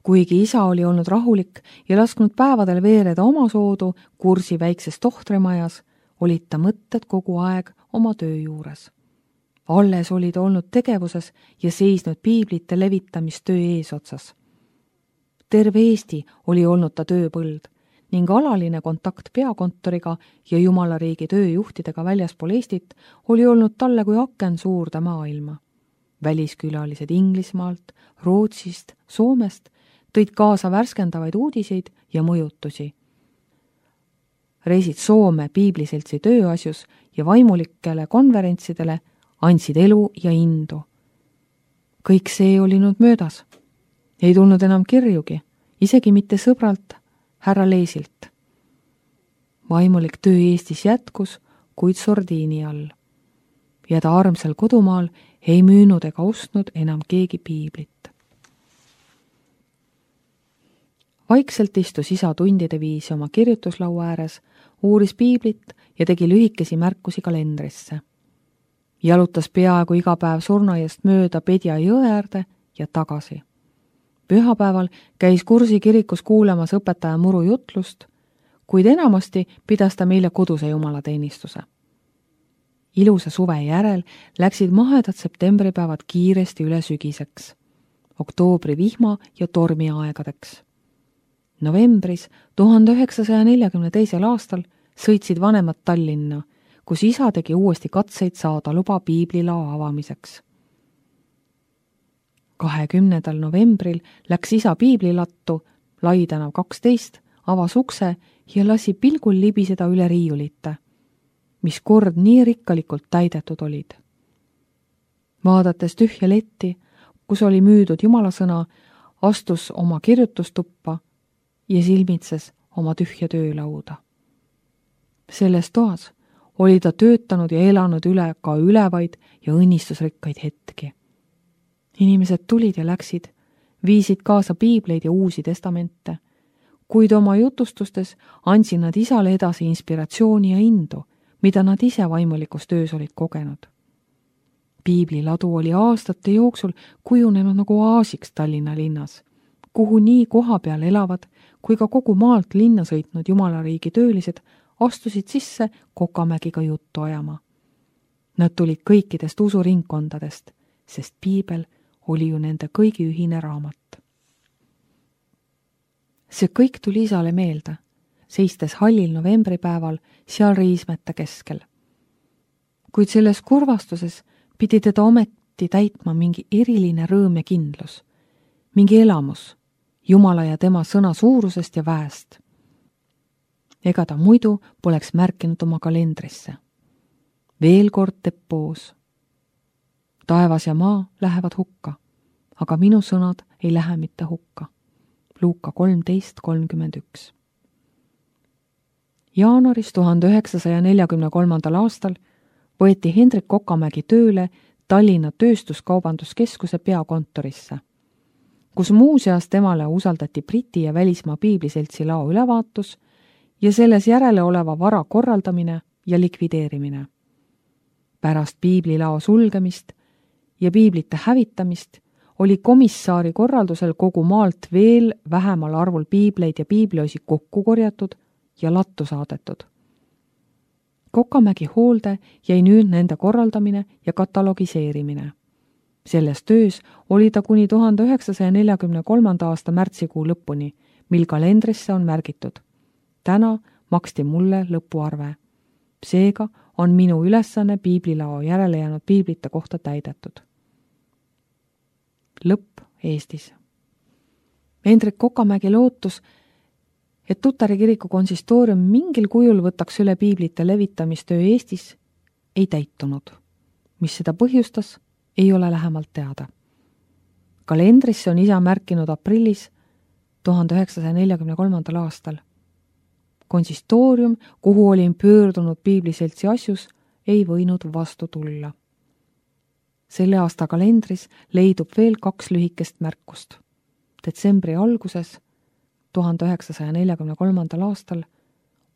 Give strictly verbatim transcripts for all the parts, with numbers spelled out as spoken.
Kuigi isa oli olnud rahulik ja lasknud päevadel veereda oma soodu kursi väikses tohtrimajas, olid ta mõtted kogu aeg oma töö juures. Alles olid olnud tegevuses ja seisnud piiblite levitamistöö eesotsas. Terve Eesti oli olnud ta tööpõld ning alaline kontakt peakontoriga ja Jumalariigi tööjuhtidega väljaspool Eestit oli olnud talle kui aken suurde maailma. Väliskülalised Inglismaalt, Rootsist, Soomest tõid kaasa värskendavaid uudiseid ja mõjutusi. Reisid Soome piibliseltsi tööasjus ja vaimulikele konverentsidele andsid elu ja indu. Kõik see oli nüüd möödas. Ei tulnud enam kirjugi, isegi mitte sõbralt, härra Leesilt. Vaimulik töö Eestis jätkus, kuid sordiini all. Ja ta armsal kodumaal ei müünud ega ostnud enam keegi piiblit. Vaikselt istus isa tundide viisi oma kirjutuslaua ääres, uuris piiblit ja tegi lühikesi märkusi kalendrisse. Jalutas peaaegu iga päev surnuaiast mööda Pedja jõe äärde ja tagasi. Pühapäeval käis Kursi kirikus kuulamas õpetaja Muru jutlust, kuid enamasti pidas ta meile koduse jumalateenistuse. Ilusa suve järel läksid mahedad septembripäevad kiiresti üle sügiseks, oktoobri vihma ja tormi aegadeks. Novembris tuhande üheksasaja neljakümne teisel aastal sõitsid vanemad Tallinna, kus isa tegi uuesti katseid saada luba piiblilao avamiseks. kahekümnendal novembril läks isa piiblilattu, Lai tänav kaksteist, avas ukse ja lasi pilgul libiseda üle riiulite, mis kord nii rikkalikult täidetud olid. Vaadates tühja letti, kus oli müüdud jumalasõna, astus oma kirjutustuppa ja silmitses oma tühja töölauda. Selles toas oli ta töötanud ja elanud üle ka ülevaid ja õnnistusrikkaid hetki. Inimesed tulid ja läksid, viisid kaasa piibleid ja uusi testamente, kuid oma jutustustes andsid nad isale edasi inspiratsiooni ja indu, mida nad ise vaimulikus töös olid kogenud. Piibliladu oli aastate jooksul kujunenud nagu oaasiks Tallinna linnas, kuhu nii koha peal elavad kui ka kogu maalt linna sõitnud Jumalariigi töölised astusid sisse Kokamägiga juttu ajama. Nad tulid kõikidest usuringkondadest, sest piibel oli ju nende kõigi ühine raamat. See kõik tuli isale meelde, seistes hallil novembripäeval seal riismete keskel. Kuid selles kurvastuses pidi teda ometi täitma mingi eriline rõõm ja kindlus, mingi elamus Jumala ja tema sõna suurusest ja väest. Ega ta muidu poleks märkinud oma kalendrisse. Veel kord depoos. Taevas ja maa lähevad hukka, aga minu sõnad ei lähe mitte hukka. Luuka kolmteist kolmkümmend üks. Jaanuaris tuhande üheksasaja neljakümne kolmandal aastal võeti Hendrik Kokamägi tööle Tallinna Tööstuskaubanduskeskuse peakontorisse, kus muuseas temale usaldati Briti ja välismaa piibliseltsi lao ülevaatus ja selles järele oleva vara korraldamine ja likvideerimine. Pärast piiblilao sulgemist ja piiblite hävitamist oli komissaari korraldusel kogu maalt veel vähemal arvul piibleid ja piibliosi kokku korjatud ja lattu saadetud. Kokamägi hoolde jäi nüüd nende korraldamine ja katalogiseerimine. Selles töös oli ta kuni tuhande üheksasaja neljakümne kolmanda aasta märtsikuu lõpuni, mil kalendrisse on märgitud. Täna maksti mulle lõpuarve. Seega on minu ülesanne piiblilao järele jäänud piiblite kohta täidetud. Lõpp Eestis. Hendrik Kokamägi lootus, et Tutari kiriku konsistoorium mingil kujul võtaks üle piiblite levitamistöö Eestis, ei täitunud. Mis seda põhjustas, ei ole lähemalt teada. Kalendrisse on isa märkinud aprillis tuhande üheksasaja neljakümne kolmandal aastal. Konsistoorium, kuhu olin pöördunud piibliseltsi asjus, ei võinud vastu tulla. Selle aasta kalendris leidub veel kaks lühikest märkust. Detsembri alguses tuhande üheksasaja neljakümne kolmandal aastal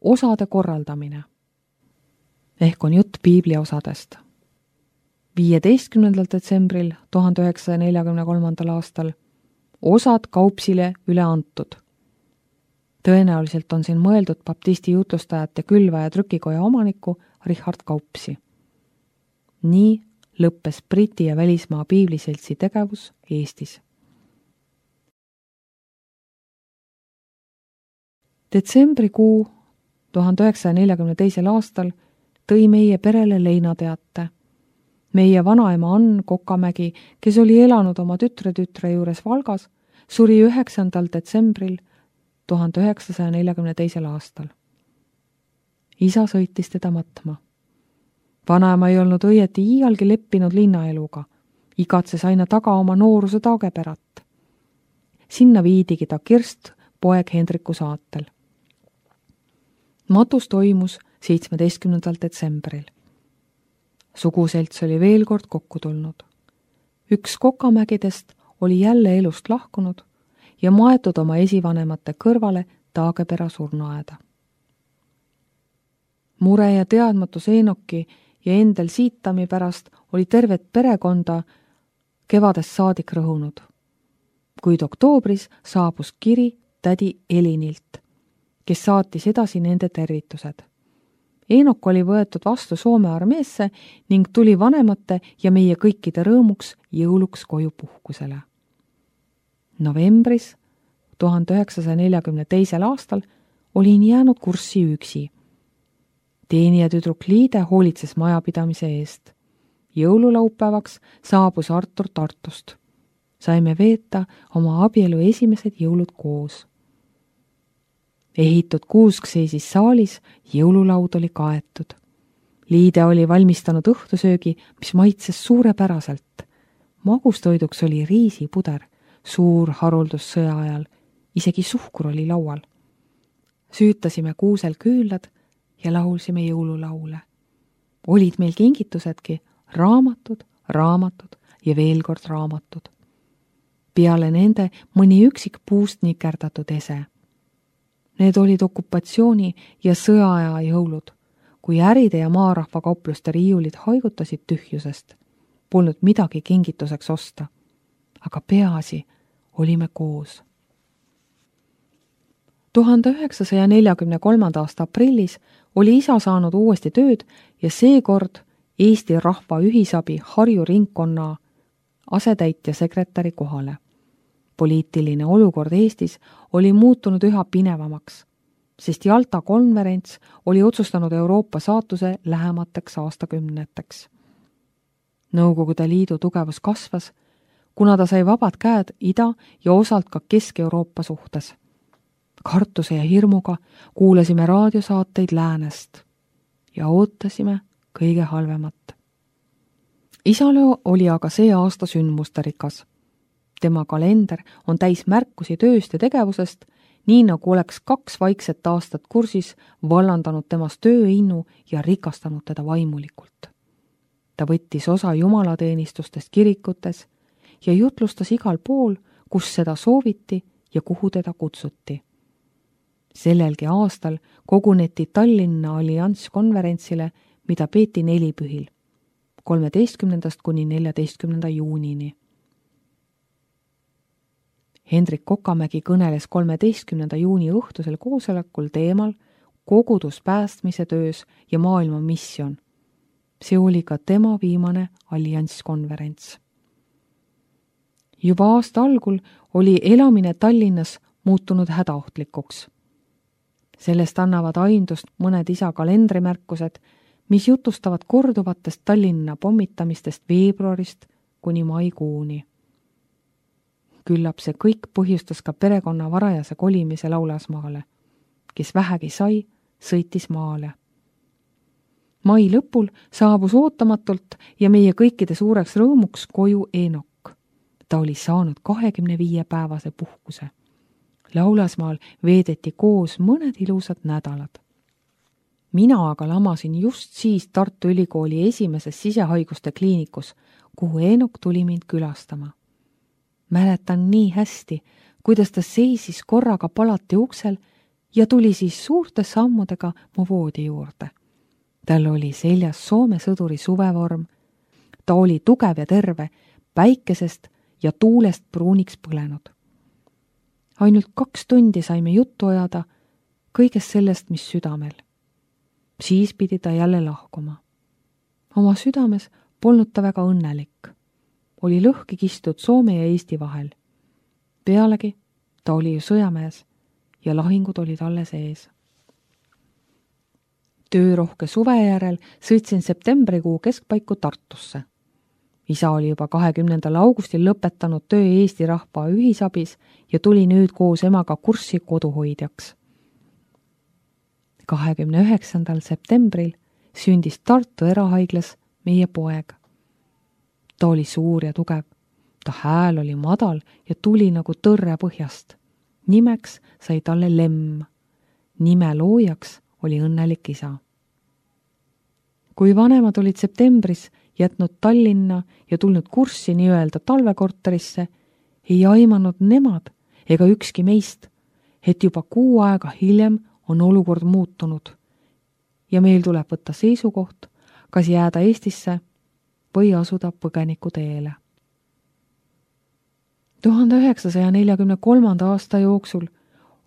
osade korraldamine. Ehk on jutt piibli osadest. viieteistkümnendal detsembril tuhande üheksasaja neljakümne kolmandal aastal osad Kaupsile üle antud. Tõenäoliselt on siin mõeldud baptisti jutlustajate külva- ja trükikoja omaniku Richard Kaupsi. Nii lõppes Briti ja välismaa piibliseltsi tegevus Eestis. Detsembrikuu tuhande üheksasaja neljakümne teisel aastal tõi meie perele leinateate. Meie vanaema Ann Kokamägi, kes oli elanud oma tütre-tütre juures Valgas, suri üheksandal detsembril tuhande üheksasaja neljakümne teisel aastal. Isa sõitis teda matma. Vanaema ei olnud õieti iialgi leppinud linnaeluga, igatses aina taga oma nooruse Taageperat. Sinna viidigi ta Kirst poeg Hendriku saatel. Matus toimus seitsmeteistkümnendal detsembril. Suguselts oli veel kord kokku tulnud. Üks Kokamägidest oli jälle elust lahkunud ja maetud oma esivanemate kõrvale Taagepera surnuaeda. Mure ja teadmatus Eenoki ja Endel Siitami pärast oli tervet perekonda kevadest saadik rõhunud. Kuid oktoobris saabus kiri tädi Elinilt, kes saatis edasi nende tervitused. Eenok oli võetud vastu Soome armeesse ning tuli vanemate ja meie kõikide rõõmuks jõuluks koju puhkusele. Novembris tuhande üheksasaja neljakümne teisel aastal olin jäänud kurssi üksi. Teenija tüdruk Liide hoolitses majapidamise eest. Jõululaupäevaks saabus Artur Tartust. Saime veeta oma abielu esimesed jõulud koos. Ehitud kuusk seisis saalis, jõululaud oli kaetud. Liide oli valmistanud õhtusöögi, mis maitses suurepäraselt. Magustoiduks oli riisipuder, suur haruldus sõja ajal, isegi suhkur oli laual. Süütasime kuusel küüllad ja laulsime jõululaule. Olid meil kingitusedki, raamatud, raamatud ja veel kord raamatud. Peale nende mõni üksik puust nikerdatud ese. Need olid okupatsiooni ja sõjaaja jõulud, kui äride ja maarahva kaupluste riiulid haigutasid tühjusest. Polnud midagi kingituseks osta, aga peaasi olime koos. tuhande üheksasaja neljakümne kolmanda aasta aprillis oli isa saanud uuesti tööd ja seekord Eesti Rahva Ühisabi Harju ringkonna asetäitja sekretäri kohale. Poliitiline olukord Eestis oli muutunud üha pinevamaks, sest Jalta konverents oli otsustanud Euroopa saatuse lähemateks aastakümneteks. Nõukogude Liidu tugevus kasvas, kuna ta sai vabad käed Ida- ja osalt ka Kesk-Euroopa suhtes. Kartuse ja hirmuga kuulasime raadiosaateid läänest ja ootasime kõige halvemat. Isale oli aga see aasta sündmusterikas. Tema kalender on täis märkusi tööst ja tegevusest, nii nagu oleks kaks vaikset aastat kursis vallandanud temast tööinnu ja rikastanud teda vaimulikult. Ta võttis osa jumalateenistustest kirikutes ja jutlustas igal pool, kus seda sooviti ja kuhu teda kutsuti. Sellelgi aastal koguneti Tallinna allianskonverentsile, mida peeti nelipühil, kolmeteistkümnendast kuni neljateistkümnenda juunini. Hendrik Kokamägi kõneles kolmeteistkümnenda juuni õhtusel koosolekul teemal kogudus päästmise töös ja maailma missioon. See oli ka tema viimane allianskonverents. Juba aasta algul oli elamine Tallinnas muutunud hädaohtlikuks. Sellest annavad aindust mõned isa kalendrimärkused, mis jutustavad korduvatest Tallinna pommitamistest veebruarist kuni maikuuni. Küllap see kõik põhjustas ka perekonna varajase kolimise Laulasmaale. Kes vähegi sai, sõitis maale. Mai lõpul saabus ootamatult ja meie kõikide suureks rõõmuks koju Eenok. Ta oli saanud kahekümne viie päevase puhkuse. Laulasmaal veedeti koos mõned ilusad nädalad. Mina aga lamasin just siis Tartu Ülikooli esimeses sisehaiguste kliinikus, kuhu Eenok tuli mind külastama. Mäletan nii hästi, kuidas ta seisis korraga palati uksel ja tuli siis suurte sammudega mu voodi juurde. Tal oli seljas Soome sõduri suvevorm. Ta oli tugev ja terve, päikesest ja tuulest pruuniks põlenud. ainult kaks tundi saime juttu ajada kõigest sellest, mis südamel. Siis pidi ta jälle lahkuma. Oma südames polnud ta väga õnnelik. Oli lõhki kistud Soome ja Eesti vahel. Pealegi ta oli ju sõjamees ja lahingud olid alles ees. Töörohke suve järel sõitsin septembrikuu keskpaiku Tartusse. Isa oli juba kahekümnendal augustil lõpetanud töö Eesti rahva ühisabis ja tuli nüüd koos emaga kurssi koduhoidjaks. kahekümne üheksandal septembril sündis Tartu erahaiglas meie poeg. Ta oli suur ja tugev. Ta hääl oli madal ja tuli nagu tõrre põhjast. Nimeks sai talle Lemm. Nime loojaks oli õnnelik isa. Kui vanemad olid septembris jätnud Tallinna ja tulnud kurssi nii-öelda talvekorterisse, ei aimanud nemad ega ükski meist, et juba kuu aega hiljem on olukord muutunud ja meil tuleb võtta seisukoht, kas jääda Eestisse või asuda põgeniku teele. tuhande üheksasaja neljakümne kolmanda aasta jooksul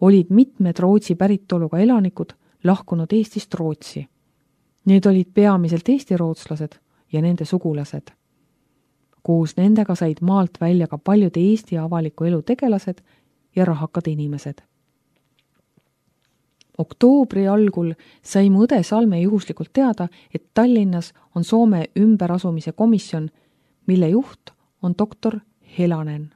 olid mitmed Rootsi päritoluga elanikud lahkunud Eestist Rootsi. Need olid peamiselt eesti rootslased ja nende sugulased. Koos nendega said maalt välja ka paljud Eesti avaliku elu tegelased ja rahakad inimesed. Oktoobri algul sai mu õde Salme juhuslikult teada, et Tallinnas on Soome ümberasumise komisjon, mille juht on doktor Helanen.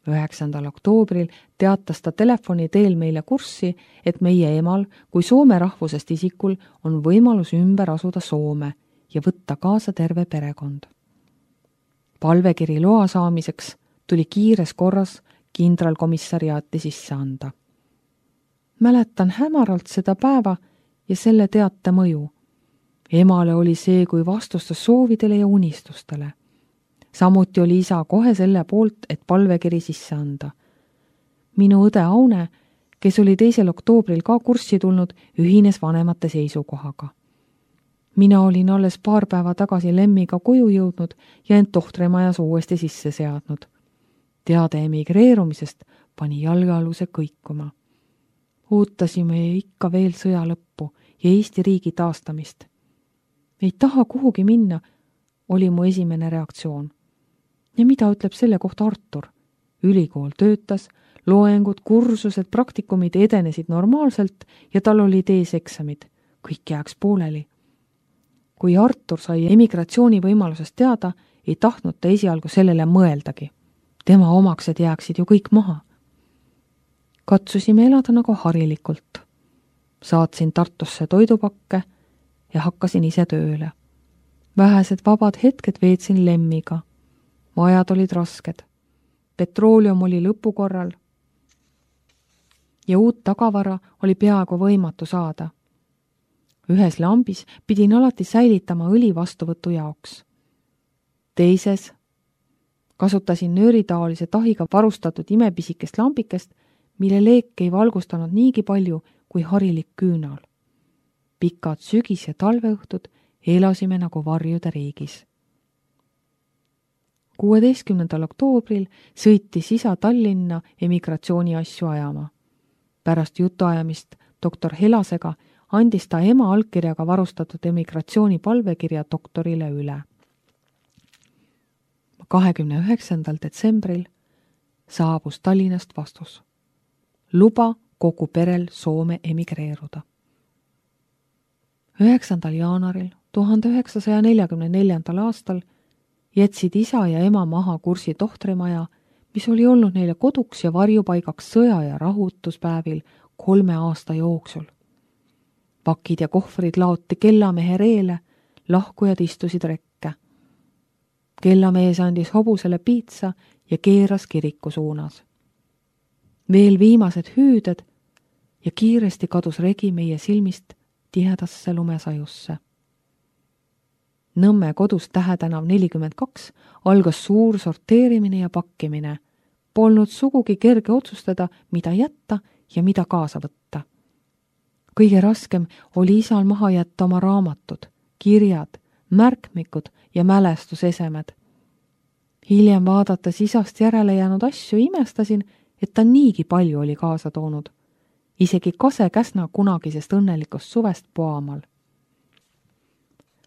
üheksandal oktoobril teatas ta telefoni teel meile kurssi, et meie emal kui Soome rahvusest isikul on võimalus ümber asuda Soome ja võtta kaasa terve perekond. Palvekiri loa saamiseks tuli kiires korras kindralkomissariaati sisse anda. Mäletan hämaralt seda päeva ja selle teate mõju. Emale oli see kui vastustas soovidele ja unistustele. Samuti oli isa kohe selle poolt, et palvekiri sisse anda. Minu õde Aune, kes oli teisel oktoobril ka kurssi tulnud, ühines vanemate seisukohaga. Mina olin alles paar päeva tagasi Lemmiga koju jõudnud ja end tohtrimajas uuesti sisse seadnud. Teade emigreerumisest pani jalgealuse kõikuma. Ootasime ikka veel sõja lõppu ja Eesti riigi taastamist. Ei taha kuhugi minna, oli mu esimene reaktsioon. Ja mida ütleb selle kohta Artur? Ülikool töötas, loengud, kursused, praktikumid edenesid normaalselt ja tal oli ees eksamid. Kõik jääks pooleli. Kui Artur sai emigratsiooni võimalusest teada, ei tahtnud ta esialgu sellele mõeldagi. Tema omaksed jääksid ju kõik maha. Katsusime elada nagu harilikult. Saatsin Tartusse toidupakke ja hakkasin ise tööle. Vähesed vabad hetked veetsin Lemmiga. Ajad olid rasked. Petroolium oli lõpukorral ja uut tagavara oli peaaegu võimatu saada. Ühes lambis pidin alati säilitama õli vastuvõtu jaoks. Teises kasutasin nööritaolise tahiga varustatud imepisikest lambikest, mille leek ei valgustanud niigi palju kui harilik küünal. Pikad sügis- ja talveõhtud elasime nagu varjude riigis. kuueteistkümnendal oktoobril sõitis isa Tallinna emigratsiooni asju ajama. Pärast jutuajamist doktor Helasega andis ta ema allkirjaga varustatud emigratsiooni palvekirja doktorile üle. kahekümne üheksandal detsembril saabus Tallinnast vastus. Luba kogu perel Soome emigreeruda. üheksandal jaanuaril tuhande üheksasaja neljakümne neljandal aastal jätsid isa ja ema maha kursi tohtrimaja, mis oli olnud neile koduks ja varjupaigaks sõja- ja rahutuspäevil kolme aasta jooksul. Pakid ja kohvrid laoti kellamehe reele, lahkujad istusid rekke. Kellamees andis hobusele piitsa ja keeras kiriku suunas. Veel viimased hüüded ja kiiresti kadus regi meie silmist tihedasse lumesajusse. Nõmme kodus Tähetänav nelikümmend kaks algas suur sorteerimine ja pakkimine. Polnud sugugi kerge otsustada, mida jätta ja mida kaasa võtta. Kõige raskem oli isal maha jätta oma raamatud, kirjad, märkmikud ja mälestusesemed. Hiljem vaadates isast järele jäänud asju imestasin, et ta niigi palju oli kaasa toonud, isegi Kase Käsna kunagisest õnnelikust suvest Poamal.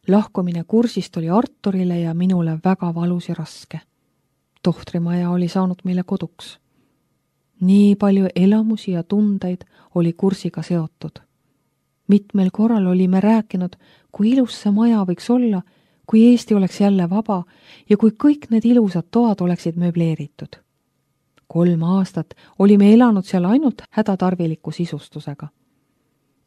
Lahkumine kursist oli Arturile ja minule väga valus ja raske. Tohtrimaja oli saanud meile koduks. Nii palju elamusi ja tundeid oli kursiga seotud. Mitmel korral olime rääkinud, kui ilus see maja võiks olla, kui Eesti oleks jälle vaba ja kui kõik need ilusad toad oleksid möbleeritud. Kolm aastat olime elanud seal ainult hädatarviliku sisustusega.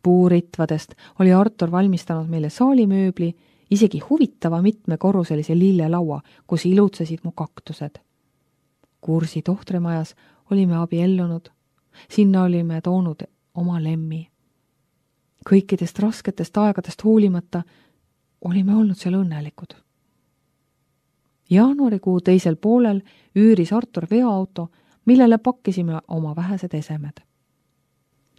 Puuritvadest oli Artur valmistanud meile saalimööbli, isegi huvitava mitmekorruselise lillelaua, kus ilutsesid mu kaktused. Kursi tohtrimajas olime abiellunud, sinna olime toonud oma lemmi. Kõikidest rasketest aegadest hoolimata olime olnud seal õnnelikud. Jaanuarikuu teisel poolel üüris Artur veoauto, millele pakkisime oma vähesed esemed.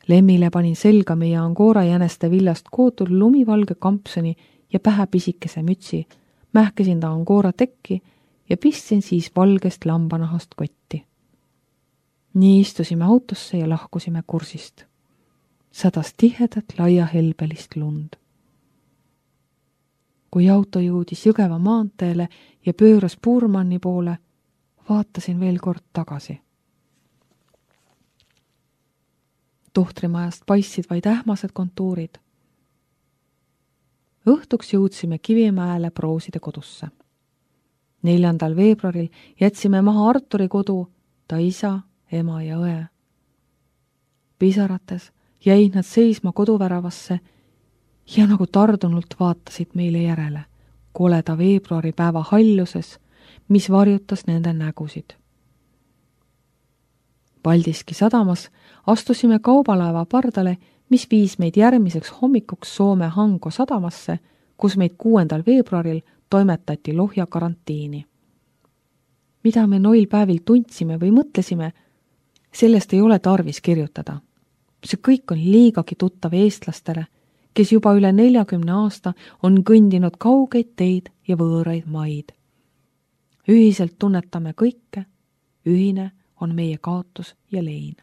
Lemmile panin selga meie Angora jäneste villast kootud lumivalge kampsoni ja pähe pisikese mütsi, mähkesin ta Angora tekki ja pistsin siis valgest lambanahast kotti. Nii istusime autosse ja lahkusime kursist. Sadas tihedat laia helbelist lund. Kui auto jõudis Jõgeva maanteele ja pööras Puurmanni poole, vaatasin veel kord tagasi. Tohtrimajast paistsid vaid ähmased kontuurid. Õhtuks jõudsime Kivimäele Prooside kodusse. Neljandal veebruaril jätsime maha Arturi kodu, ta isa, ema ja õe. Pisarates jäid nad seisma koduväravasse ja nagu tardunult vaatasid meile järele, koleda veebruaripäeva halluses, mis varjutas nende nägusid. Paldiski sadamas astusime kaubalaeva pardale, mis viis meid järgmiseks hommikuks Soome Hanko sadamasse, kus meid kuuendal veebruaril toimetati Lohja karantiini. Mida me noil päevil tundsime või mõtlesime, sellest ei ole tarvis kirjutada. See kõik on liigagi tuttav eestlastele, kes juba üle neljakümne aasta on kõndinud kaugeid teid ja võõraid maid. Ühiselt tunnetame kõike, ühine on meie kaotus ja lein.